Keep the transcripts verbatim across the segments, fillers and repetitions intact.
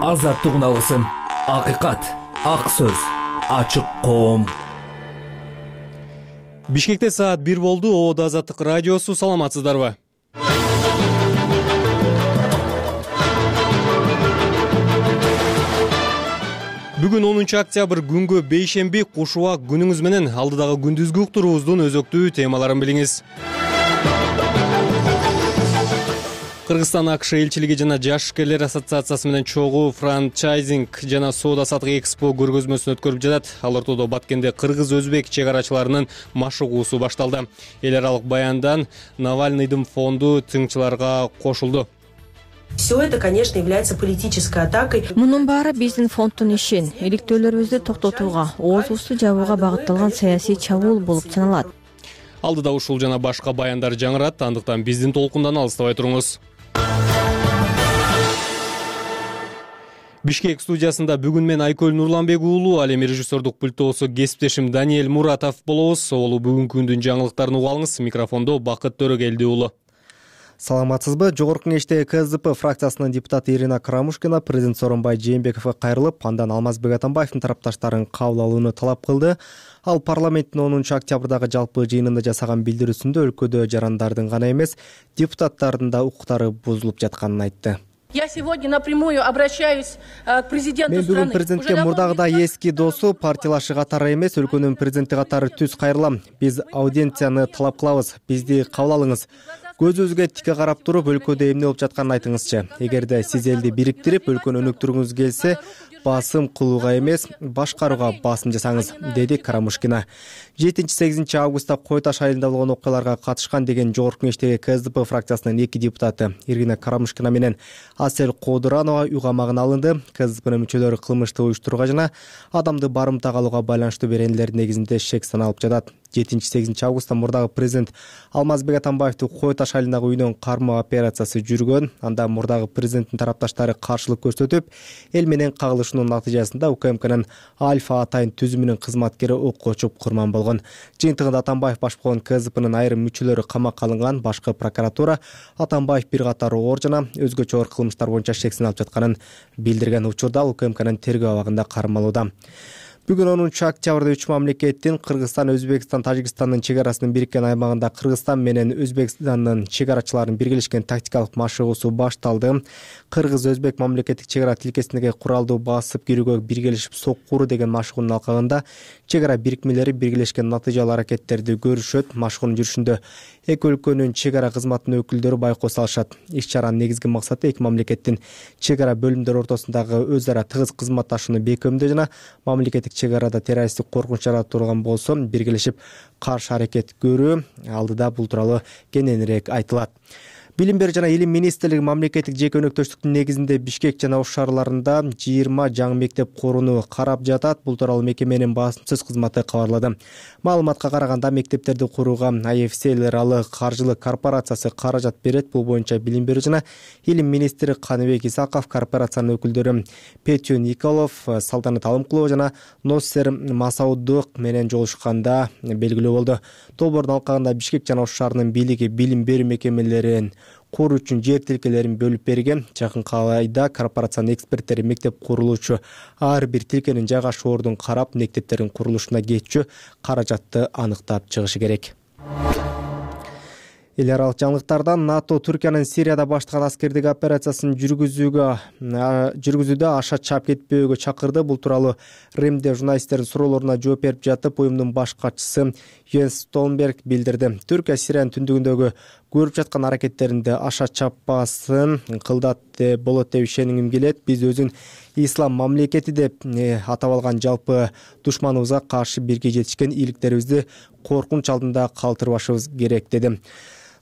азаттык үналысын, акыйкат, ак сөз, ачык коом. Бишкекте саат бир болду. Оодо Азаттык радиосу. Саламатсыздарбы? Бүгүн онунчу октябрь күнгө бейшемби. Куш убак күнүңүз менен алдыдагы күндүзгү уктуруубуздун өзөктүү темаларын билиңиз. Кыргызстан АКШ элчилиги жана Жашкерлер ассоциациясы менен чогуу франчайзинг жана соода саттык экспо көргөзмөсүн өткөрүп жатат. Ал ортодо Баткенде кыргыз-өзбек чек арачыларынын машыгуусу башталды. Эл аралык баяндан Навальныйдын фонду тыңчыларга кошулду. Все это, конечно, является политической атакой. Мунун баары биздин фонддун ишин, иликтөөлөрүбүздү токтотууга, оозубузду жабууга багытталган саясий чабуул болуп саналат. Алдыда ушул жана башка баяндар жаңырат, андыктан биздин толкундан алыстабай туруңуз. Бишкек студиясында бүгүн мен Айкөл Нурланбек уулу, ал эми режиссердук пультоосу кесиптешим Даниэль Муратов болобуз. Олу бүгүнкү күндүн жаңылыктарын уга алыңыз. Микрофондо Бакыт Төрөгелди уулу. Саламатсызбы? Жогорку кеңеште КСДП фракциясынын депутаты Ирина Карамушкина президент Сооронбай Жээнбековго кайрылып, андан Алмазбек Атамбаевдин тарапташтарын кабыл алууну талап кылды. Ал парламенттин онунчу октябрдагы жалпы жыйынында жасаган билдирүүсүндө өлкөдө жарандардын гана эмес, депутаттардын да укуктары бузулуп жатканын айтты. Я сегодня напрямую обращаюсь к президенту страны. Мен бүгүн президентке мурдагыдай эски досу, партиялашы катары эмес, өлкөнүн президенти катары түз кайрылам. Биз аудиенцияны талап кылабыз, бизди кабыл алыңыз. Көзүбүзгө тике карап туруп, өлкөдө эмне болуп жатканын айтыңызчы. Эгерде сиз элди бириктирип, өлкөнү өнүктүргүңүз келсе, басым кылууга эмес, башкарууга басым жасаңыз, деди Карамушкина. жетинчи-сегизинчи августта Кой Таш айылында болгон окуяларга катышкан деген жогорку кеңештеги КСДП фракциясынын эки депутаты Ирина Карамушкина менен Асел Кодуранова үй камагына алынды. КСДПнын мүчөлөрү кылмышты уюштурууга жана адамды барымтага алууга байланыштуу беренелер негизинде шек саналып жатат. жетинчи-сегизинчи августта мурдагы президент Алмазбек Атамбаевди Кой Таш айылындагы үйүнөн кармоо операциясы жүргөн. Анда мурдагы президенттин тарапташтары каршылык көрсөтүп, эл менен кагылышуунун натыйжасында УКМКнын Альфа атайын түзүмүнүн кызматкери окко учуп курман болгон. Жыйынтыгында Атамбаев баш болгон КСДПнын айрым мүчөлөрү камакка алынган. Башкы прокуратура Атамбаев бир катар оор жана өзгөчө оор кылмыштар боюнча шек саналып жатканын билдирген. Учурда УКМКнын тергөө абагында кармалууда. Бүгүн онунчу октябрда үч мамлекеттин Кыргызстан, Өзбекстан, Тажикстандын чек арасынын бириккен аймагында Кыргызстан менен Өзбекстандын чек арачыларынын биргелешкен тактикалык машыгуусу башталды. Кыргыз-Өзбек мамлекеттик чек ара тилкесиндеги куралдуу басып кирүүгө биргелешип соккуруу деген машыгуунун алкагында чек ара бирикмелери биргелешкен натыйжалуу аракеттерди көрүшөт. Машыгуунун жүрүшүндө эки өлкөнүн чек ара кызматынын өкүлдөрү байкоос алышат. Иш чаранын негизги максаты эки мамлекеттин чек ара бөлүмдөрү ортосундагы өз ара тыгыз кызматташууну бекемдөө жана мамлекеттик чек арада террористтик коркунуч жаратылган болсо биргелешип каршы аракет көрүү. Алдыда бул тууралуу кененирээк айтылат. Билим берүү жана илим министрлиги мамлекеттик жеке өнөктөштүктүн негизинде Бишкек жана ош шаарларында жыйырма жаңы мектеп курууну карап жатат. Бул тууралуу мекеменин басымсыз кызматы кабарлады. Маалыматка караганда мектептерди курууга ай эф си эл аралык каржылык корпорациясы каражат берет. Бул боюнча билим берүү жана илим министри Каныбек Исаков, корпорациянын өкүлдөрү Петю Николов, Салтанат Алымкулова жана Носсер Масаудук менен жолугушканда белгилүү болду. Долбоордун алкагында Бишкек жана ош шаарынын бийлиги билим берүү мекемелерин куруу үчүн жер тилкелерин бөлүп берген. Жакынкы айда корпорациянын эксперттери мектеп курулуучу ар бир тилкенин жайгашуу ордун карап, мектептердин курулушуна кетчү каражатты аныктап чыгышы керек. Эл аралык жаңылыктардан НАТО Түркиянын Сирияда баштаган аскердик операциясын жүргүзүүгө жүргүзүүдө аша чап кетпөөгө чакырды. Бул тууралуу Римде журналисттердин суроолоруна жооп берип жатып, уюмдун баш катчысы Йенс Столнберг билдирди. Түркия Сириянын түндүгүндөгү көрүп жаткан аракеттеринде аша чаппасын кылдат болот деп ишенгим келет. Биз өзүн ислам мамлекети деп атап алган жалпы душманыбызга каршы бирге жетишкен ийгиликтерибизди коркунуч алдында калтырбашыбыз керек, деди.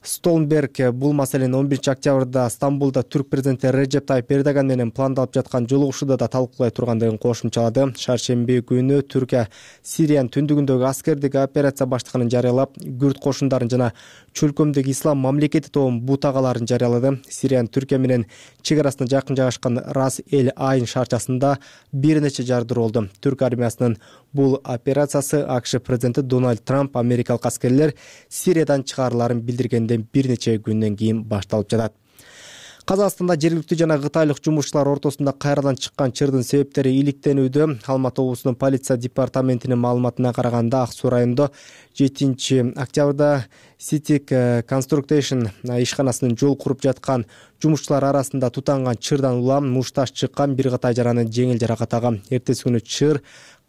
Столнберг бул маселени он биринчи октябрда Стамбулда түрк президенти Режеп Тайып Эрдоган менен пландалып жаткан жолугушууда да талкуулай тургандыгын кошумчалады. Шаршемби күнү Түркия Сириянын түндүгүндөгү аскердик операция баштаганын жарыялап, Күрд кошундарын жана чөлкөмдөгү ислам мамлекети тобунун бутагаларын жарыялады. Сириянын Түркия менен чек арасына жакын жайгашкан Рас эль Айн шаарчасында бир нече жардыруу болду. Түрк армиясынын бул операциясы АКШ президенти Дональд Трамп америкалык аскерлер Сириядан чыгарыларын билдиргенде бир нече күндөн кийин башталып жатат. Казакстанда жергиликтүү жана кытайлык жумушчулар ортосунда кайрадан чыккан чырдын себептери иликтенүүдө. Алматы облусунун полиция департаментинин маалыматына караганда, Ак Суу районунда жетинчи октябрда Ситик Construction ишканасынын жол куруп жаткан жумушчулар арасында тутанган чырдан улам мушташ чыккан бир кытай жараны жеңил жаракат алган. Эртеси күнү чыр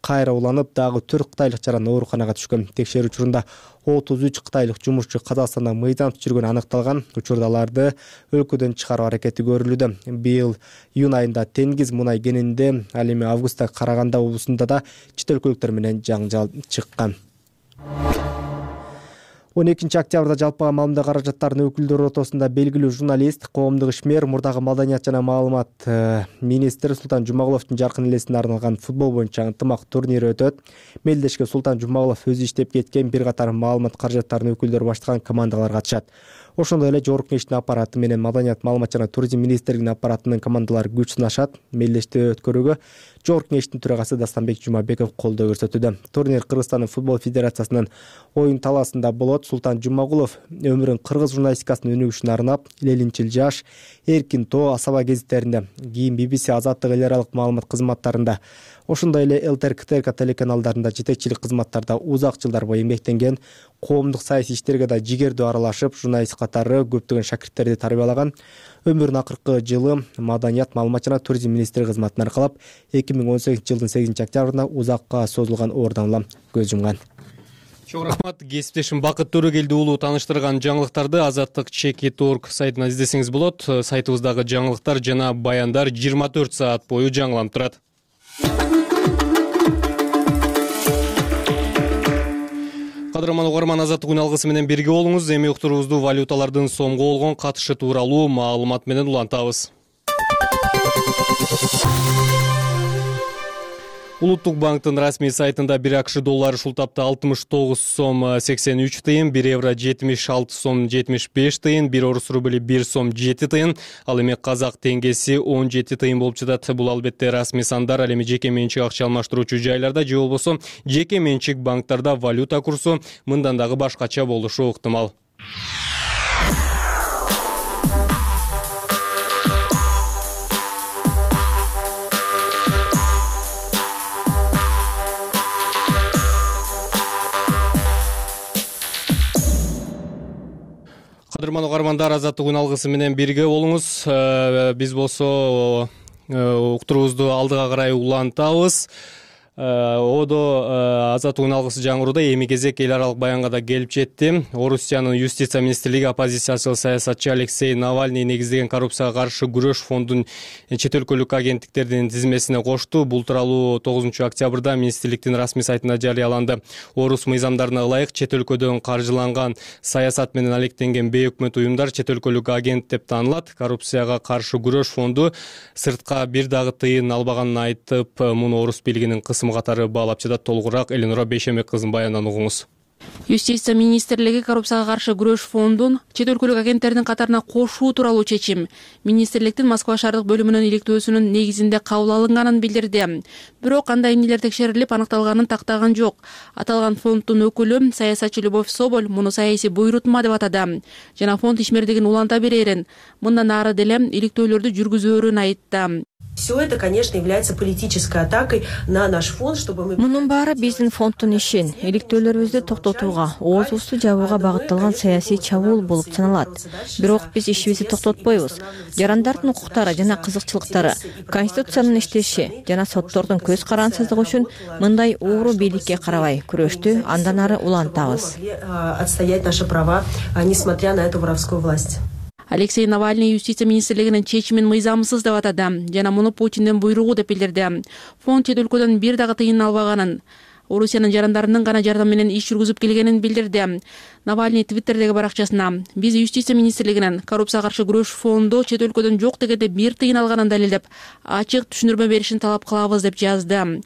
кайра уланып, дагы төрт кытайлык жаран ооруканага түшкөн. Текшерүү учурунда отуз үч кытайлык жумушчу Казакстанда мыйзамсыз жүргөнү аныкталган. Учурда аларды өлкөдөн чыгаруу аракети көрүлүүдө. Быйыл июнь айында Теңиз мунай кенинде, ал эми августта Караганда облусунда да чет өлкөлүктөр менен жаңжал чыккан. он экинчи октябрда жалпыга маалымат каражаттарынын өкүлдөрү ортосунда белгилүү журналист, коомдук ишмер, мурдагы маданият жана маалымат министри Султан Жумагуловдун жаркын элесине арналган футбол боюнча ынтымак турнири өтөт. Мелдешке Султан Жумагулов өзү иштеп кеткен бир катар маалымат каражаттарынын өкүлдөрү баштаган командалар катышат. Ошондой эле Жогорку Кеңештин аппараты менен Маданият, маалымат жана туризм министрлигинин аппаратынын командалары күч сынашат. Мелдешти өткөрүүгө Жогорку Кеңештин төрагасы Дастанбек Жумабеков колдоо көрсөтүүдө. Турнир Кыргызстандын футбол федерациясынын оюн талаасында болот. Султан Жумагулов өмүрүн кыргыз журналистикасынын өнүгүшүнө арнап, Ленинчил жаш, Эркин тоо, Асаба гезиттеринде, кийин би би си Азаттык эл аралык маалымат кызматтарында, ошондой эле эл тэ эр ка тэ эр ка телеканалдарында жетекчилик кызматтарда узак жылдар бою эмгектенген. Коомдук саясий иштерге да жигердүү аралашып, журналист катары көптөгөн шакирттерди тарбиялаган. Өмүрүнүн акыркы жылы Маданият, маалымат жана туризм министри кызматын аркалап, эки миң он сегизинчи жылдын сегизинчи октябрында узакка созулган оорудан улам көз жумган. Чоң рахмат. Кесиптешим Бакыт Төрөгелди уулу тааныштырган жаңылыктарды азаттык чеки точка орг сайтынан издесеңиз болот. Сайтыбыздагы жаңылыктар жана баяндар жыйырма төрт саат бою жаңыланып турат. Кадырман угарман, азаттык үн алгысы менен бирге болуңуз. Эми уктуруубузду валюталардын сомго болгон катышы тууралуу маалымат менен улантабыз. Улуттук банктын расмий сайтында бир акш доллары ушул тапта алтымыш тогуз сом сексен үч тыйын, бир евро жетимиш алты сом жетимиш беш тыйын, бир орус рубли бир сом жети тыйын, ал эми казак теңгеси он жети тыйын болуп жатат. Бул албетте расмий сандар. Ал эми жеке менчик акча алмаштыруучу жайларда же болбосо жеке менчик банктарда валюта курсу мындан дагы башкача болушу ыктымал. Кадырман угармандар, азаттык үн алгысы менен бирге болуңуз. Биз болсо уктуруубузду алдыга карай улантабыз. Одо азаттык үн алгысы жаңырууда эми кезек эл аралык баянга да келип жетти. Орусиянын юстиция министрлиги оппозициячыл саясатчы Алексей Навальный негиздеген коррупцияга каршы күрөш фондун чет өлкөлүк агенттиктердин тизмесине кошту. Бул тууралуу тогузунчу октябрда министрликтин расмий сайтында жарыяланды. Орус мыйзамдарына ылайык чет өлкөдөн каржыланган саясат менен алектенген бейөкмөт уюмдар чет өлкөлүк агент деп таанылат. Коррупцияга каршы күрөш фонду сыртка бир дагы тыйын албаганын айтып, муну орус бийлигинин кысым катары баалап жатат. Толугураак Элинура Бейшембек кызынын баянынан угуңуз. Юстиция министрлиги коррупцияга каршы күрөш фондун чет өлкөлүк агенттердин катарына кошуу тууралуу чечим министрликтин Москва шаардык бөлүмүнүн иликтөөсүнүн негизинде кабыл алынганын билдирди. Бирок андай эмнелер текшерилип аныкталганын тактаган жок. Аталган фонддун өкүлү саясатчы Любовь Соболь муну саясий буйрутма деп атады жана фонд ишмердигин уланта берерин, мындан ары деле иликтөөлөрдү жүргүзөөрүн айтты. Все это, конечно, является политической атакой на наш фонд, чтобы мы... Мунун баары биздин фонддун ишин, иликтөөлөрүбүздү токтотууга, оозубузду жабууга багытталган саясий чабуул болуп саналат. Бирок биз ишибизди токтотпойбуз. Жарандардын укуктары жана кызыкчылыктары, конституциянын иштеши жана соттордун көз карансыздыгы үчүн мындай ууру бийликке карабай күрөштү андан ары улантабыз. Отстоять наши права, несмотря на эту воровскую власть. Алексей Навальный юстиция министрлигинин чечимин мыйзамсыз деп атады жана муну Путиндин буйругу деп билдирди. Фонд чет өлкөдөн бир дагы тыйын албаганын, Орусиянын жарандарынын гана жардамы менен иш жүргүзүп келгенин билдирди. Навальный твиттердеги баракчасына биз юстиция министрлигинин коррупцияга каршы күрөш фонду чет өлкөдөн жок дегенде бир тыйын алганын далилдеп, ачык түшүндүрмө беришин талап кылабыз деп жазды.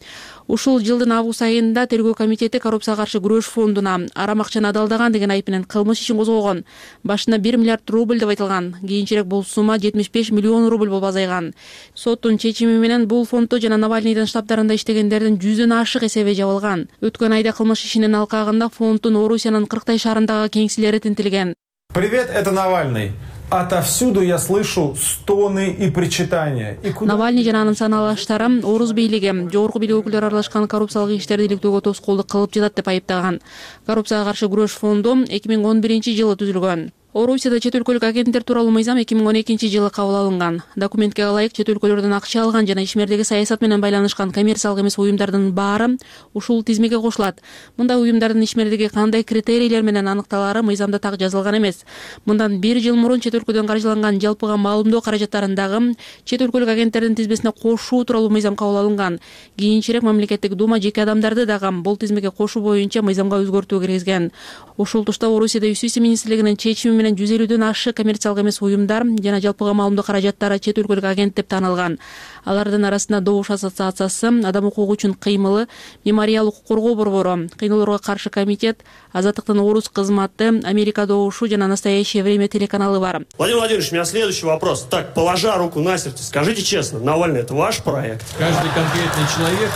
Ушул жылдын август айында тергөө комитети коррупцияга каршы күрөш фондуна арам акчаны адалдаган деген айып менен кылмыш ишин козгогон. Башында бир миллиард рубль деп айтылган. Кийинчерээк бул сумма жетимиш беш миллион рубль болуп азайган. Соттун чечими менен бул фонддо жана Навальныйдын штабдарында иштегендердин жүздөн ашык эсеби жабылган. Өткөн айда кылмыш ишинин алкагында фонддун Орусиянын кырктай шаарындагы кеңселери тинтилген. Привет, это Навальный. Отовсюду я слышу стоны и причитания. Навальный жана анын саналаштары орус бийлиги жогорку бийлик өкүлдөрү аралашкан коррупциялык иштерди иликтөөгө тоскоолдук кылып жатат деп айыптаган. Коррупцияга каршы күрөш фонду эки миң он биринчи жылы түзүлгөн. Орусияда чет өлкөлүк агенттер тууралуу мыйзам эки миң он экинчи жылы кабыл алынган. Документке ылайык чет өлкөлөрдөн акча алган жана ишмердеги саясат менен байланышкан коммерциялык эмес уюмдардын баары ушул тизмеге кошулат. Мындай уюмдардын ишмердиги кандай критерийлер менен аныкталары мыйзамда так жазылган эмес. Мындан бир жыл мурун чет өлкөдөн каржыланган жалпыга маалымдоо каражаттарындагы чет өлкөлүк агенттердин тизмесине кошуу тууралуу мыйзам кабыл алынган. Кийинчерээк мамлекеттик дума жеке адамдарды дагы бул тизмеге кошуу боюнча мыйзамга өзгөртүү киргизген. Ушул тушта Орусияда юстиция министрлигинин чечими менен жүз элүүдөн ашык коммерциялык эмес уюмдар жана жалпыга маалымдоо каражаттары чет өлкөлүк агент деп таанылган. Алардын арасында Добуш ассоциациясы, Адам укугу үчүн кыймылы, Мемориал укук коргоо борбору, Кыйноолорго каршы комитет, Азаттыктын орус кызматы, Америка Добушу жана Настоящее время телеканалы бар. Владимир Владимирович, у меня следующий вопрос. Так, положа руку на сердце, скажите честно, Навальный — это ваш проект? Каждый конкретный человек,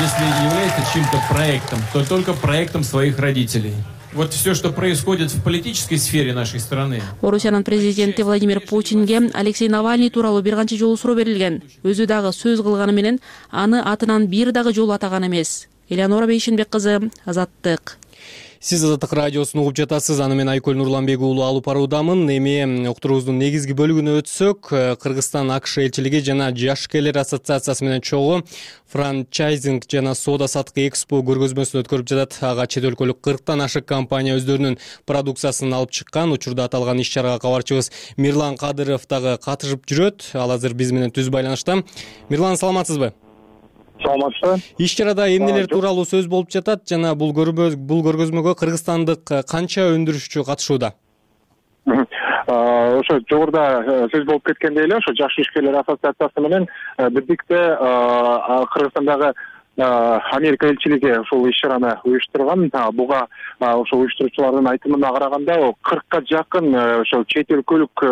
если является чьим-то проектом, то только проектом своих родителей. Вот все, что происходит в политической сфере нашей страны. Орусиянын президенти Владимир Путинге Алексей Навальный тууралуу бир канча жолу суроо берилген. Өзү дагы сөз кылганы менен аны атынан бир дагы жолу атаган эмес. Элеонора Бейшенбек кызы, Азаттык. Сиз Азаттык радиосун угуп жатасыз. Аны мен Айкөл Нурланбек уулу алып баруудамын. Эми уктуруубуздун негизги бөлүгүнө өтсөк, Кыргызстан АКШ элчилиги жана Жашкелер ассоциациясы менен чогуу франчайзинг жана соода саттык экспо көргөзмөсүн өткөрүп жатат. Ага чет өлкөлүк кырктан ашык компания өздөрүнүн продукциясын алып чыккан. Учурда аталган иш чарага кабарчыбыз Мирлан Кадыров дагы катышып жүрөт. Ал азыр биз менен түз байланышта. Мирлан, саламатсызбы? Саламатсызбы. Иш чарада эмнелер тууралуу сөз болуп жатат жана бул бул көргөзмөгө кыргызстандык канча өндүрүшчү катышууда? Ошо жогоруда сөз болуп кеткендей эле, ошо Жаш ишкерлер ассоциациясы менен бирдикте Кыргызстандагы Америка элчилиги ушул иш чараны уюштурган. Буга ошо уюштуруучулардын айтымына караганда кыркка жакын ошо чет өлкөлүк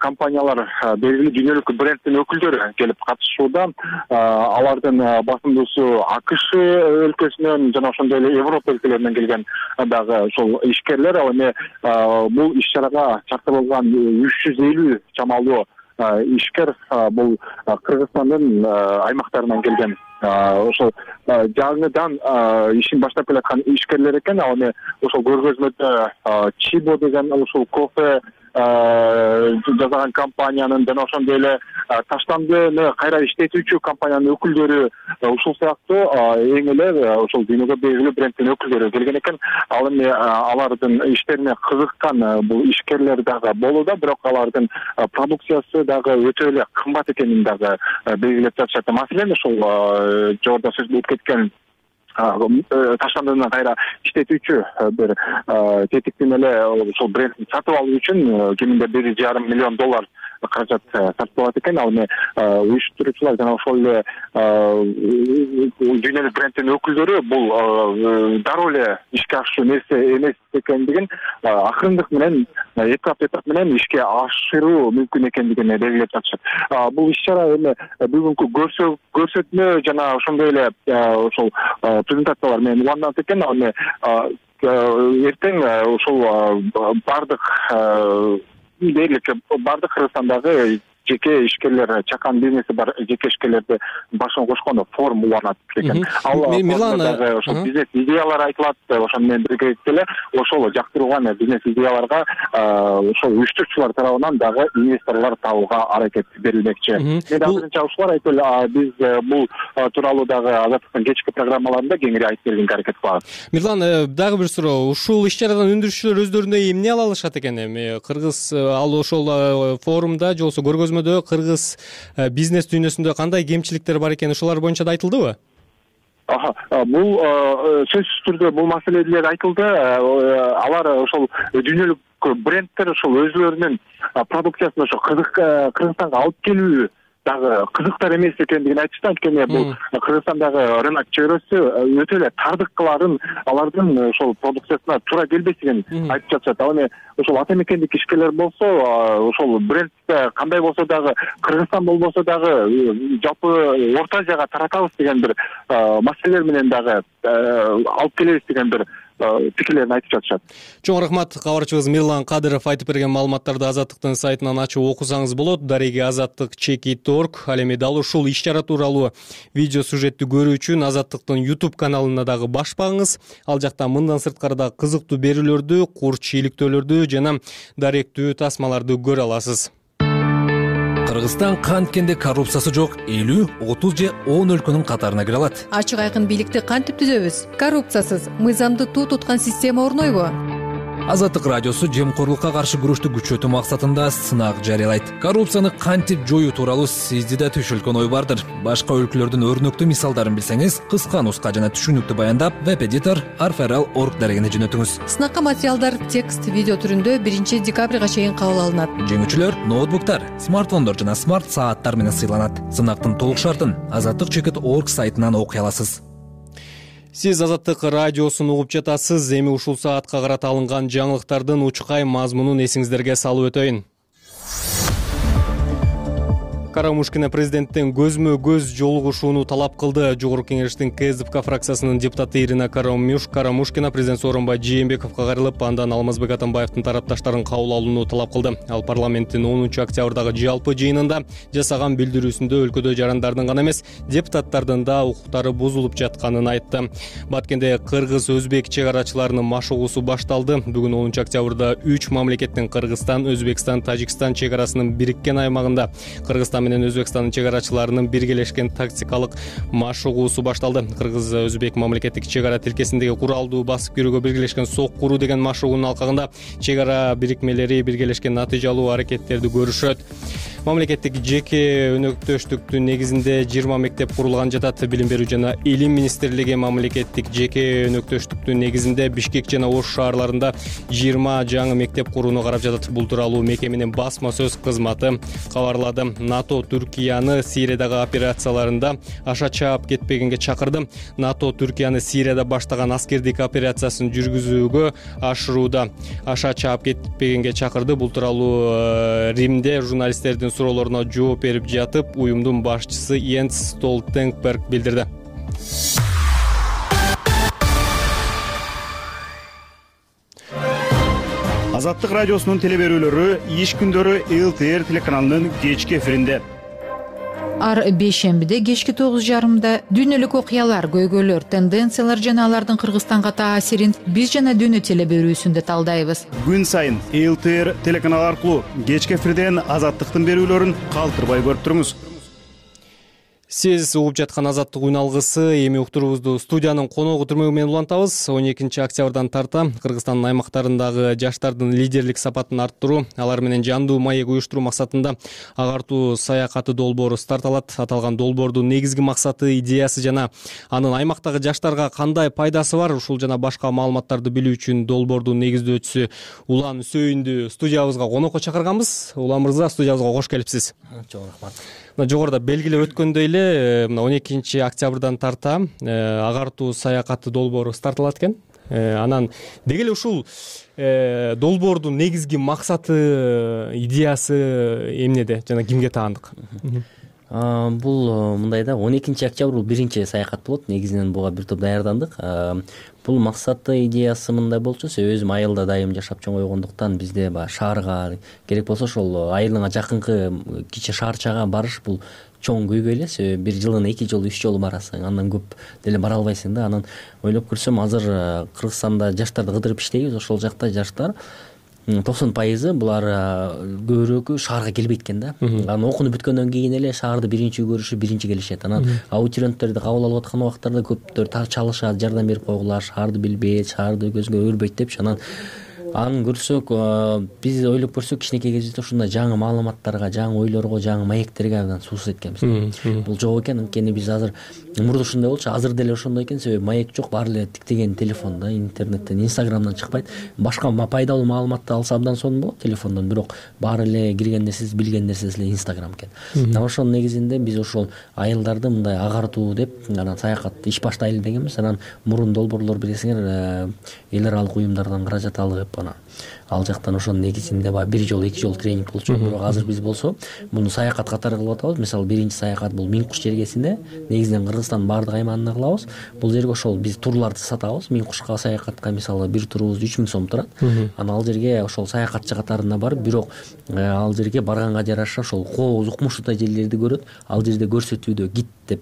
компаниялар, белгилүү дүйнөлүк бренддин өкүлдөрү келип катышууда. Алардын басымдуусу АКШ өлкөсүнөн жана ошондой эле Европа өлкөлөрүнөн келген дагы ошол ишкерлер. Ал эми бул иш чарага чакырылган үч жүз элүү чамалуу ишкер бул Кыргызстандын аймактарынан келген. Ошол жаңыдан ишин баштап келаткан ишкерлер экен. Ал эми ошол көргөзмөдө Чибо деген ушул кофе жасаган компаниянын жана ошондой эле таштандыны кайра иштетүүчү компаниянын өкүлдөрү, ушул сыяктуу эң эле ошол дүйнөгө белгилүү бренддин өкүлдөрү келген экен. Ал эми алардын иштерине кызыккан бул ишкерлер дагы болууда, бирок алардын продукциясы дагы өтө эле кымбат экенин дагы белгилеп жатышат. Маселен ошол жогоруда сөз болуп кеткен таштандыны кайра иштетүүчү бир тетиктин эле ошол брендти сатып алуу үчүн кеминде бир жарым миллион доллар каражат сарпталат экен. Ал эми уюштуруучулар жана ошол эле дүйнөлүк бренддин өкүлдөрү бул дароо эле ишке ашуу нерсе эмес экендигин акырындык менен, этап этап менен ишке ашыруу мүмкүн экендигин белгилеп жатышат. Бул иш чара эми бүгүнкү көрсөтмө жана ошондой эле ошол презентациялар менен уланат экен. Ал эми эртең ошол бардык дээрлик бардык Кыргызстандагы жеке ишкерлер, чакан бизнеси бар жеке ишкерлерди башына кошкон форум уланат экен. Ал дагы ошол бизнес идеялар айтылат. Ошону менен биргеликте эле ошол жактырылган бизнес идеяларга ошол уюштуруучулар тарабынан дагы инвесторлор табууга аракет берилмекчи. Мен азырынча ушулар айтып эле биз бул тууралуу дагы Азаттыктын кечки программаларында кеңири айтып бергенге аракет кылабыз. Мирлан, дагы бир суроо. Ушул иш чарадан өндүрүшчүлөр өздөрүнө эмне ала алышат экен? Эми кыргыз ал ошол форумда же болбосо көргөзмө кыргыз бизнес дүйнөсүндө кандай кемчиликтер бар экени ошолар боюнча да айтылдыбы? Бул сөзсүз түрдө бул маселелер айтылды. Алар ошол дүйнөлүк брендтер ошол өзлөрүнүн продукциясын ошо Кыргызстанга алып келүү дагы кызыктар эмес экендигин айтышты. Анткени бул Кыргызстандагы рынок чөйрөсү өтө эле тардыккыларын, алардын ошол продукциясына туура келбесин айтып жатышат. Ал эми ошол ата мекендик ишкерлер болсо, ошол брендте кандай болсо дагы, Кыргызстан болбосо дагы жалпы Орто Азияга таратабыз деген бир маселелер менен дагы алып келебиз деген бир пикирлерин айтып жатышат. Чоң рахмат. Кабарчыбыз Мирлан Кадыров айтып берген маалыматтарды Азаттыктын сайтынан ачып окусаңыз болот. Дареги азаттык чекит точка орг. Ал эми дал ушул иш-чара тууралуу видео сюжетти көрүү үчүн Азаттыктын YouTube каналына дагы баш багыңыз. Ал жакта мындан сырткары да кызыктуу берүүлөрдү, курч иликтөөлөрдү жана даректүү тасмаларды көрө аласыз. Кыргызстан канткенде коррупциясы жок элүү, отуз же он өлкөнүн катарына кире алат. Ачык айкын бийликти кантип түзөбүз? Коррупциясыз, мыйзамды туу туткан система орнойбу? Азаттык радиосу жемкорлукка каршы күрөштү күчөтүү максатында сынак жарыялайт. Коррупцияны кантип жоюу тууралуу сизди да түшүлгөн ой бардыр. Башка өлкөлөрдүн өрнөктүү мисалдарын билсеңиз, кыска нуска жана түшүнүктүү баяндап веб-эдитор арферал точка орг дарегине жөнөтүңүз. Сынакка материалдар текст, видео түрүндө биринчи декабрга чейин кабыл алынат. Жеңүүчүлөр ноутбуктар, смартфондор жана смарт сааттар менен сыйланат. Сынактын толук шартын азаттык чекит точка орг сайтынан окуй аласыз. Сиз Азаттык радиосун угуп жатасыз. Эми ушул саатка карата алынган жаңылыктардын учкай мазмунун эсиңиздерге салып өтөйүн. Карамушкина президенттен көзмө-көз жолугушууну талап кылды. Жогорку кеңештин КСДП фракциясынын депутаты Ирина Карамушкина президент Сооронбай Жээнбековго кайрылып, андан Алмазбек Атамбаевдин тарапташтарын кабыл алууну талап кылды. Ал парламенттин онунчу октябрдагы жалпы жыйынында жасаган билдирүүсүндө өлкөдө жарандардын гана эмес, депутаттардын да укуктары бузулуп жатканын айтты. Баткенде кыргыз-өзбек чек арачыларынын машыгуусу башталды. Бүгүн онунчу октябрда үч мамлекеттин Кыргызстан, Өзбекстан, Тажикстан чек арасынын бириккен аймагында Кыргызстан менен Өзбекстандын чек арачыларынын биргелешкен тактикалык машыгуусу башталды. Кыргыз-Өзбек мамлекеттик чек ара тилкесиндеги куралдуу басып кирүүгө биргелешкен сок куруу деген машыгуунун алкагында чек ара бирикмелери биргелешкен натыйжалуу аракеттерди көрүшөт. Мамлекеттик жеке өнөктөштүктүн негизинде жыйырма мектеп курулган жатат. Билим берүү жана илим министрлиги мамлекеттик жеке өнөктөштүктүн негизинде Бишкек жана Ош шаарларында жыйырма жаңы мектеп курууну карап жатат. Бул тууралуу мекеменин басма сөз кызматы кабарлады. НАТО Түркияны Сириядагы операцияларында аша чаап кетпегенге чакырды. НАТО Түркияны Сирияда баштаган аскердик операциясын жүргүзүүгө ашырууда аша чаап кетпегенге чакырды. Бул тууралуу Римде журналисттердин суроолоруна жооп берип жатып, уюмдун башчысы Йенс Столтенберг билдирди. Азаттык радиосунун телеберүүлөрү иш күндөрү эл ти эр телеканалынын кечки эфиринде. Ар бейшембиде кечки тогуз жарымда дүйнөлүк окуялар, көйгөйлөр, тенденциялар жана алардын Кыргызстанга таасирин биз жана дүйнө телеберүүсүндө талдайбыз. Күн сайын эл ти эр телеканалы аркылуу кечки эфирден Азаттыктын берүүлөрүн калтырбай көрүп туруңуз. Сиз угуп жаткан Азаттык үн алгысы. Эми уктуруубузду студиянын коногу түрмөгү менен улантабыз. он экинчи октябрдан тарта Кыргызстандын аймактарындагы жаштардын лидерлик сапатын арттыруу, алар менен жандуу маек уюштуруу максатында агартуу саякаты долбоору старт алат. Аталган долбоордун негизги максаты, идеясы жана анын аймактагы жаштарга кандай пайдасы бар, ушул жана башка маалыматтарды билүү үчүн долбоордун негиздөөчүсү Улан Сөйүндү студиябызга конокко чакырганбыз. Улан мырза, студиябызга кош келипсиз. Чоң рахмат. Жогоруда белгилеп өткөндөй эле, мына он экинчи октябрдан тарта агартуу саякаты долбоору старт алат экен. Анан деги эле ушул долбоордун негизги максаты, идеясы эмнеде жана кимге таандык? Бул мындай да, он экинчи октябрь бул биринчи саякат болот. Негизинен буга бир топ даярдандык. Бул максаты, идеясы мындай болчу, өзүм айылда дайым жашап чоңойгондуктан бизде баягы шаарга керек болсо ошол айылыңа жакынкы кичи шаарчага барыш бул чоң көйгөй эле. Себеби бир жылына эки жолу, үч жолу барасың, андан көп деле бара албайсың да. Анан ойлоп көрсөм, азыр Кыргызстанда жаштарды кыдырып иштейбиз. Ошол жакта жаштар токсон пайызы булар көбүрөөкү шаарга келбейт экен да. Анан окунуп бүткөндөн кийин эле шаарды биринчи көрүшүп, биринчи келишет. Анан абитуриенттерди кабыл алып аткан убактарда көптөр чалышат, жардам берип койгула, шаарды билбейт, шаарды көзгө көрбөйт депчи. Анан аны көрсөк, биз ойлоп көрсөк, кичинекей кезибизде ушундай жаңы маалыматтарга, жаңы ойлорго, жаңы маектерге абдан суусуз эткенбиз. Бул жок экен. Анткени биз азыр мурда ушундай болчу, азыр деле ошондой экен. Себеби маек жок, баары эле тиктеген телефонда, интернеттен, инстаграмдан чыкпайт. Башка пайдалуу маалыматты алса абдан сонун болот телефондон, бирок баары эле кирген нерсеси, билген нерсеси эле инстаграм экен. Анан ошонун негизинде биз ошол айылдарды мындай агартуу деп, анан саякатты иш баштайлы дегенбиз. Анан мурун долбоорлор билесиңер, эл аралык уюмдардан каражат алып, анан ал жактан ошонун негизинде баягы бир жолу эки жолу тренинг болчу. Бирок азыр биз болсо муну саякат катары кылып атабыз. Мисалы биринчи саякат бул Миң Куш жергесинде, негизинен Кыргызстандын баардык аймагында кылабыз. Бул жерге ошол биз турларды сатабыз. Миң Кушка саякатка мисалы бир турубуз үч миң сом турат. Анан ал жерге ошол саякатчы катарына барып, бирок ал жерге барганга жараша ошол кооз укмуштуу жерлерди көрөт. Ал жерде көрсөтүүдө гид деп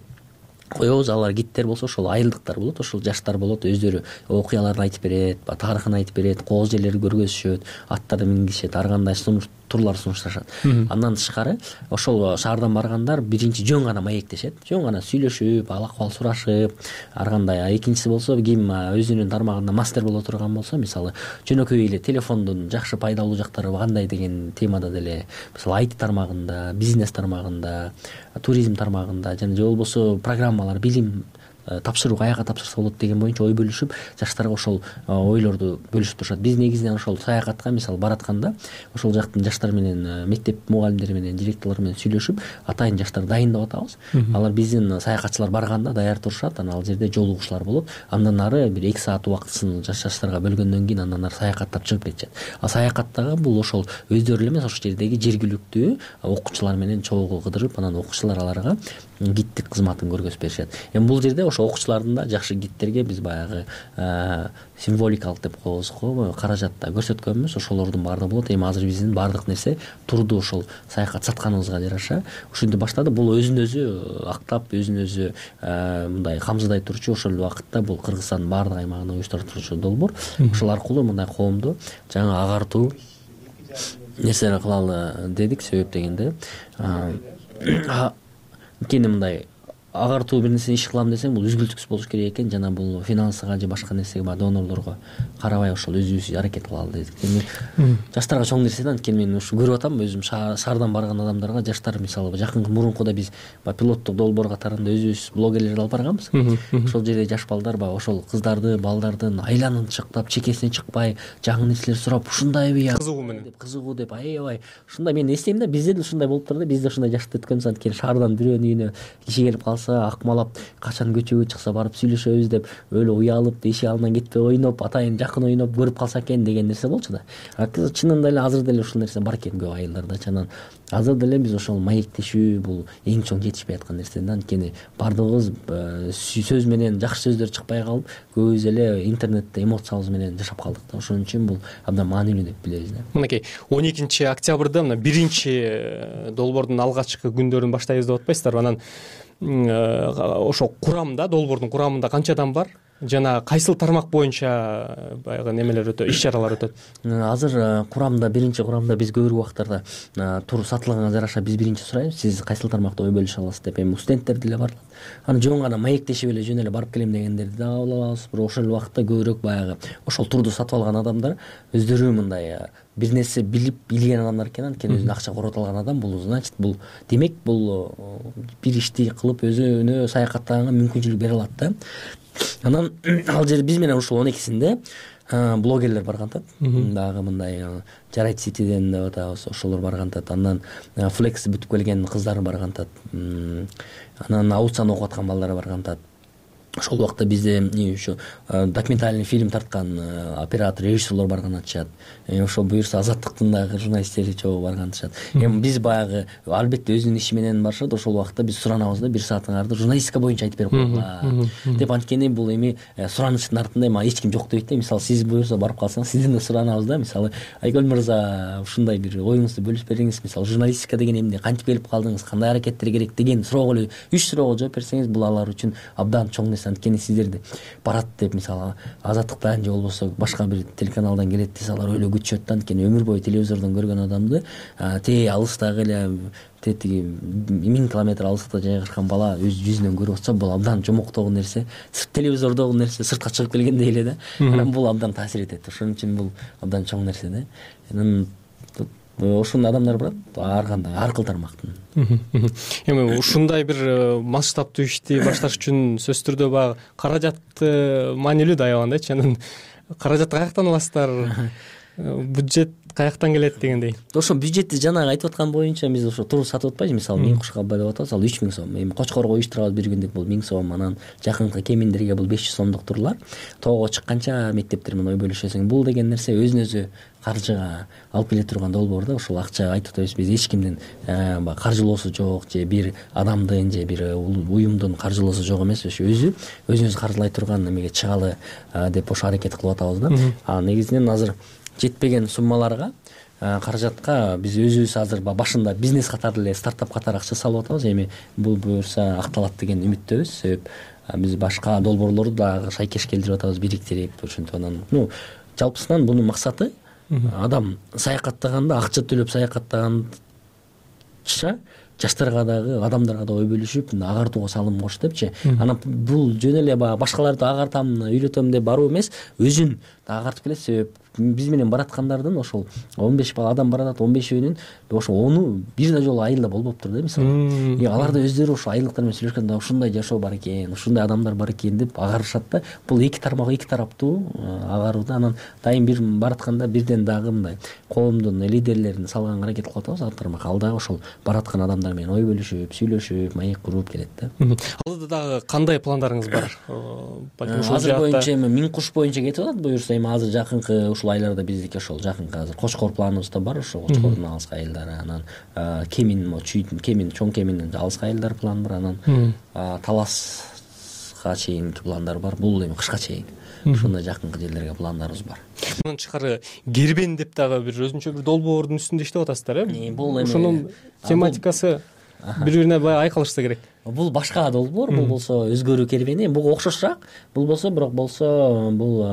коебуз. Алар гидтер болсо ошол айылдыктар болот, ошол жаштар болот, өздөрү окуяларды айтып берет, тарыхын айтып берет, кооз жерлерди көргөзүшөт, аттарды мингизишет, ар кандай турлар сунушташат. Андан тышкары ошол шаардан баргандар биринчи жөн гана маектешет, жөн гана сүйлөшүп, ал акыбал сурашып, ар кандай. Экинчиси болсо ким өзүнүн тармагында мастер боло турган болсо, мисалы жөнөкөй эле телефондун жакшы пайдалуу жактары кандай деген темада деле, мисалы ай ти тармагында, бизнес тармагында, туризм тармагында жана же болбосо программалар, билим тапшыруу каяка тапшырса болот деген боюнча ой бөлүшүп, жаштарга ошол ойлорду бөлүшүп турушат. Биз негизинен ошол саякатка мисалы баратканда ошол жактын жаштар менен, мектеп мугалимдери менен, директорлор менен сүйлөшүп, атайын жаштарды дайындап атабыз. Алар биздин саякатчылар барганда даяр турушат, анан ал жерде жолугушуулар болот. Андан ары бир эки саат убактысын жаш жаштарга бөлгөндөн кийин андан ары саякаттап чыгып кетишет. А саякаттагы бул ошол өздөрү эле эмес, ошол жердеги жергиликтүү окуучулар менен чогуу кыдырып, анан окуучулар аларга гидтик кызматын көргөзүп беришет. Эми бул жерде ошол окуучулардын да жакшы гидтерге биз баягы символикалык деп коебуз го, каражатта көрсөткөнбүз. Ошолордун баардыгы болот. Эми азыр биздин баардык нерсе турду ошол саякат сатканыбызга жараша ушинтип баштады. Бул өзүн өзү актап, өзүн өзү мындай камсыздай турчу, ошол убакытта бул Кыргызстандын баардык аймагында уюштуруп турчу долбоор. Ошол аркылуу мындай коомду жаңы агартуу нерселер кылалы дедик. Себеп дегенде анткени мындай агартуу бир нерсени иш кылам десең, бул үзгүлтүксүз болуш керек экен. Жана бул финансыга же башка нерсеге, баягы донорлорго карабай ошол өзүбүз аракет кылалы дедик. Эми жаштарга чоң нерсе да, анткени мен ушу көрүп атам өзүм шаардан барган адамдарга. Жаштар мисалы жакын мурункуда биз баягы пилоттук долбоор катарында өзүбүз блогерлерди алып барганбыз. Ошол жерде жаш балдар баягы ошол кыздарды, балдардын айланын чыктап, чекесине чыкпай, жаңы нерселер сурап, ушундайбы кызыгуу менен деп, кызыгуу деп, аябай ушундай. Мен эстейм да, бизде да ушундай болуп турду. Биз да ушундай жашты өткөнбүз. Анткени шаардан бирөөнүн үйүнө киши келип калса, акмалап качан көчөгө чыкса барып сүйлөшөбүз деп, өлө уялып, эшик алдынан кетпей ойноп, атайын жакын ойноп көрүп калса экен деген нерсе болчу да. Чынында эле азыр деле ушул нерсе бар экен көп айылдарда. Анан азыр деле биз ошол маектешүү бул эң чоң жетишпей аткан нерсе да. Анткени баардыгыбыз сөз менен жакшы сөздөр чыкпай калып, көбүбүз эле интернетте эмоциябыз менен жашап калдык да. Ошон үчүн бул абдан маанилүү деп билебиз да. Мынакей он экинчи октябрда мына биринчи долбоордун алгачкы күндөрүн баштайбыз деп атпайсыздарбы? Анан ошо курамда, долбоордун курамында канча адам бар? Жана кайсыл тармак боюнча баягы немелер өтөт, иш чаралар өтөт? Азыр курамда, биринчи курамда биз көбүрөөк убактарда тур сатылганга жараша биз биринчи сурайбыз, сиз кайсыл тармакта ой бөлүшө аласыз деп. Эми студенттер деле бар. Аны жөн гана маектешип эле жөн эле барып келем дегендерди да кабыл алабыз. Бирок ошол убакытта көбүрөөк баягы ошол турду сатып алган адамдар өздөрү мындай бир нерсе билип билген адамдар экен. Анткени өзүнө акча корото алган адам бул, значит, бул демек бул бир ишти кылып өзүнө саякаттаганга мүмкүнчүлүк бере алат да. Анан ал жерде биз менен ушул он экисинде блогерлер баргантат. Дагы мындай жарайт ситиден деп атабыз, ошолор баргантат. Андан флекс бүтүп келген кыздар баргантат. Анан аутсан окуп аткан балдар баргантат. Ошол убакта бизде ушу документальный фильм тарткан оператор, режиссерлор барган атышат. Ошол буюрса Азаттыктын дагы журналисттери чогуу барган атышат. Эми биз баягы албетте өзүнүн иши менен барышат. Ошол убакта биз суранабыз да, бир саатыңарды журналистика боюнча айтып берип койгула деп. Анткени бул эми суранычтын артында эми эч ким жок дебейт да. Мисалы сиз буюрса барып калсаңыз, сизден да суранабыз да. Мисалы Айгөл мырза, ушундай бир оюңузду бөлүшүп бериңиз. Мисалы журналистика деген эмне, кантип келип калдыңыз, кандай аракеттер керек деген суроого эле үч суроого жооп берсеңиз, бул алар үчүн абдан чоң нерсе. Анткени сиздерди барат деп, мисалы Азаттыктан же болбосо башка бир телеканалдан келет десе, алар өлө күтүшөт да. Анткени өмүр бою телевизордон көргөн адамды тээ алыстагы эле тетиги миң километр алыстыкта жайгашкан бала өз жүзүнөн көрүп атса, бул абдан жомоктогу нерсе, телевизордогу нерсе сыртка чыгып келгендей эле да. Анан бул абдан таасир этет. Ошон үчүн бул абдан чоң нерсе да. Анан ошондой адамдар барат, ар кандай ар кыл тармактын. Эми ушундай бир масштабтуу ишти башташ үчүн сөзсүз түрдө баягы каражат маанилүү да аябагандайчы. Анан каражатты каяктан аласыздар? бюджет каяктан келет дегендей. Ошо бюджетти жанагы айтып аткан боюнча биз ошо туруп сатып атпайбыз. Мисалы миң куш кабба деп атабыз, ал үч миң сом. Эми Кочкорго уюштурабыз бир күндүк, бул миң сом. Анан жакынкы кеминдерге бул беш жүз сомдук турлар. Тоого чыкканча мектептер менен ой бөлүшөсүң. Бул деген нерсе өзүнө өзү каржыга алып келе турган долбоор да. Ошол акча айтып атабыз, биз эч кимдин баягы каржылоосу жок, же бир адамдын же бир уюмдун каржылоосу жок эмес. Ошо өзү өзүнүз каржылай турган эмеге чыгалы деп ошо аракет кылып атабыз да. А негизинен азыр жетпеген суммаларга, каражатка биз өзүбүз азыр башында бизнес катары эле, стартап катары акча салып атабыз. Эми бул буюрса акталат деген үмүттөбүз. Себеп биз башка долбоорлорду дагы шайкеш келтирип атабыз, бириктирип, ошентип анан ну жалпысынан бунун максаты адам саякаттаганда, акча төлөп саякаттаганча жаштарга дагы, адамдарга да ой бөлүшүп, агартууга салым кош депчи. Анан бул жөн эле баягы башкаларды агартам, үйрөтөм деп баруу эмес, өзүн да агартып келет. Себеп биз менен бараткандардын ошол он беш бала адам баратат, он бешөөнүн ошо ону бир да жолу айылда болбоптур да, мисалы. И алар да өздөрү ошо айылдыктар менен сүйлөшкөндө ушундай жашоо бар экен, ушундай адамдар бар экен деп агарышат да. Бул эки тармак, эки тараптуу агаруу да. Анан дайым бир баратканда бирден дагы мындай коомдун лидерлерин салганга аракет кылып атабыз. Ал тармак ал дагы ошол бараткан адамдар менен ой бөлүшүп, сүйлөшүп, маек куруп келет да. Алда дагы кандай пландарыңыз бар? Азыр боюнча эми миң куш боюнча кетип атат. Буюрса эми азыр жакынкы ушул айларда биздики ошол жакынкы азыр Кочкор планыбызда бар. Ошо Кочкордун алыскы айылдары, анан Кемин, Чүйдүн, Кемин, Чоң Кеминдин алыскы айылдары план бар. Анан Таласка чейинки пландар бар. Бул эми кышка чейин ушундай жакынкы жерлерге пландарыбыз бар. Мындан тышкары Гербен деп дагы бир өзүнчө бир долбоордун үстүндө иштеп атасыздар, э? Бул эми ошонун тематикасы бири-бирине баягы айкалышса керек. Бул башка долбоор, бул болсо өзгөрүү кербени, буга окшошураак. Бул болсо, бирок болсо бул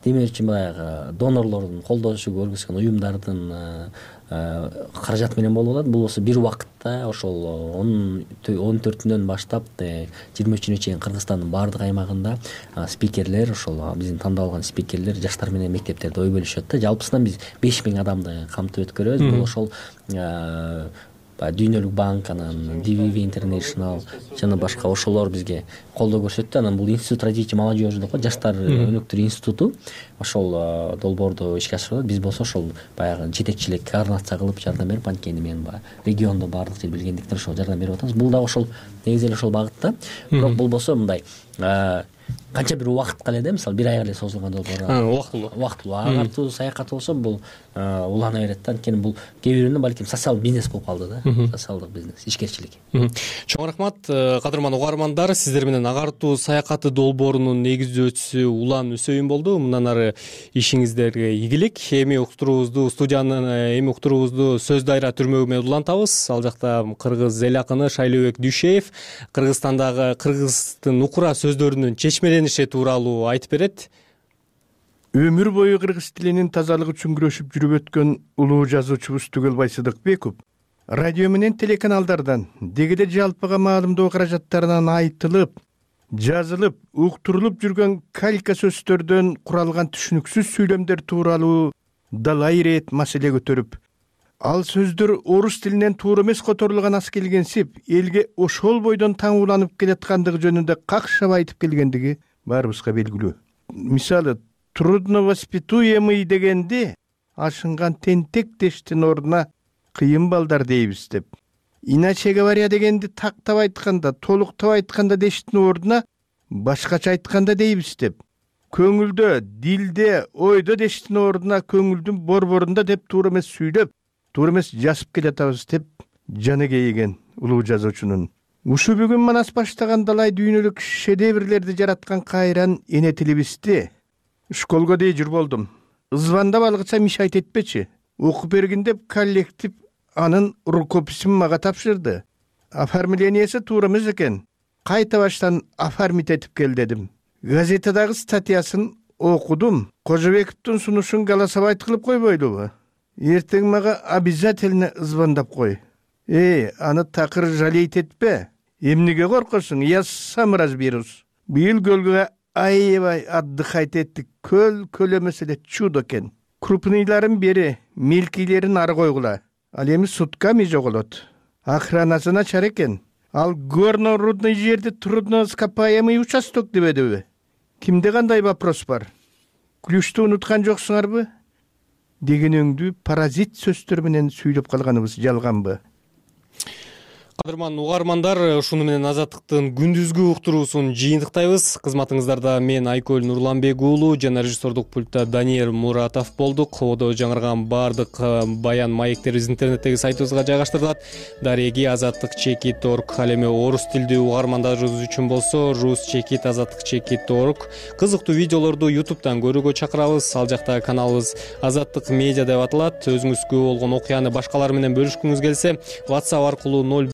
демек үчүн баягы донорлордун колдошу көргөзгөн уюмдардын каражаты менен болуп атат. Бул болсо бир убакытта ошол он төртүнөн баштап жыйырма үчүнө чейин Кыргызстандын баардык аймагында спикерлер, ошол биздин тандап алган спикерлер жаштар менен мектептерде ой бөлүшөт да. Жалпысынан биз беш миң адамды камтып өткөрөбүз. Бул ошол Дүйнөлүк банк, анан ди ви ви International жана башка ошолор бизге колдоо көрсөттү. Анан бул институт развития молодежи деп коет, жаштар өнөктөр институту ошол долбоорду ишке ашырат. Биз болсо ошол баягы жетекчилик, координация кылып жардам берип, анткени мен баягы региондо баардык жер билгендиктен ошол жардам берип атабыз. Бул дагы ошол негизи эле ошол багытта. Бирок бул болсо мындай канча бир убакытка эле да, мисалы бир айга эле созулган долбоор. Убактылуу. Убактылуу. Агартуу саякат болсо бул улана берет да. Анткени бул кээ бирөөнө балким социалдык бизнес болуп калды да. Социалдык бизнес, ишкерчилик. Чоң рахмат, кадырман угармандар. Сиздер менен агартуу саякаты долбоорунун негиздөөчүсү Улан Үсөйүн болду. Мындан ары ишиңиздерге ийгилик. Эми уктуруубузду студиянын эми уктуруубузду Сөз Дайра түрмөгү менен улантабыз. Ал жакта кыргыз эл акыны Шайлообек Дүйшеев Кыргызстандагы кыргыздын укура сөздөрүнүн чечмелениши тууралуу айтып берет. Өмүр бою кыргыз тилинин тазалыгы үчүн күрөшүп жүрүп өткөн улуу жазуучубуз Түгөлбай Сыдыкбеков радио менен телеканалдардан дегиде жалпыга маалымдоо каражаттарынан айтылып, жазылып, уктурулуп жүргөн калька сөздөрдөн куралган түшүнүксүз сүйлөмдөр тууралуу далай ирет маселе көтөрүп, ал сөздөр орус тилинен туура эмес которулган аз келгенсип, элге ошол бойдон таңууланып келаткандыгы жөнүндө какшап айтып келгендиги баарыбызга белгилүү. Мисалы, трудновоспитуемый дегенде ашынган тентек дештин ордуна кыйын балдар дейбиз деп. Иначе говоря дегенди тактап айтканда, толуктап айтканда дештин ордуна башкача айтканда дейбиз деп. Көңүлдө, дилде, ойдо дештин ордуна көңүлдүн борборунда деп туура эмес сүйлөп, туура эмес жазып келатабыз деп жаны кейиген улуу жазуучунун. Ушу бүгүн манас баштаган далай дүйнөлүк шедеврлерди жараткан кайран эне тилибизди школго дей жүр болдум. Звандап алгыча мишайт этпечи. Окуп бергин деп коллектив анын рукописин мага тапшырды. Оформлениясы туура эмес экен. Кайта баштан оформить этип кел дедим. Газетадагы статьясын окудум. Кожобековдун сунушун голосовать кылып койбойлубу? Эртең мага обязательно звондап кой. Эй, аны такыр жалейт этпе. Эмнеге коркосуң? Я сам разберусь. Быйыл көлгө аябай отдыхать эттик. Көл көл эмес эле чудо экен. Крупныйларын бери, мелкийлерин ары койгула. Ал эми сутками жоголот. Охранасы начар экен. Ал горно-рудный жерде трудноископаемый участок дебедиби? Кимде кандай вопрос бар? Ключту унуткан жоксуңарбы? дегенеңдүү паразит сөздөр менен сүйлөп калганыбыз жалганбы? Кадырман угармандар, ушуну менен Азаттыктын күндүзгү уктуруусун жыйынтыктайбыз. Кызматыңыздарда мен Айкөл Нурланбек уулу жана режиссердук пультта Даниэль Муратов болдук. Одо жаңырган баардык баян маектер интернеттеги сайтыбызга жайгаштырылат. Дареги азаттык чекит точка орг. Ал эми орус тилдүү угармандарыбыз үчүн болсо рус чекит азаттык чекит точка орг. Кызыктуу видеолорду ютубтан көрүүгө чакырабыз. Ал жакта каналыбыз Азаттык медиа деп аталат. Өзүңүзгө болгон окуяны башкалар менен бөлүшкүңүз келсе WhatsApp аркылуу ноль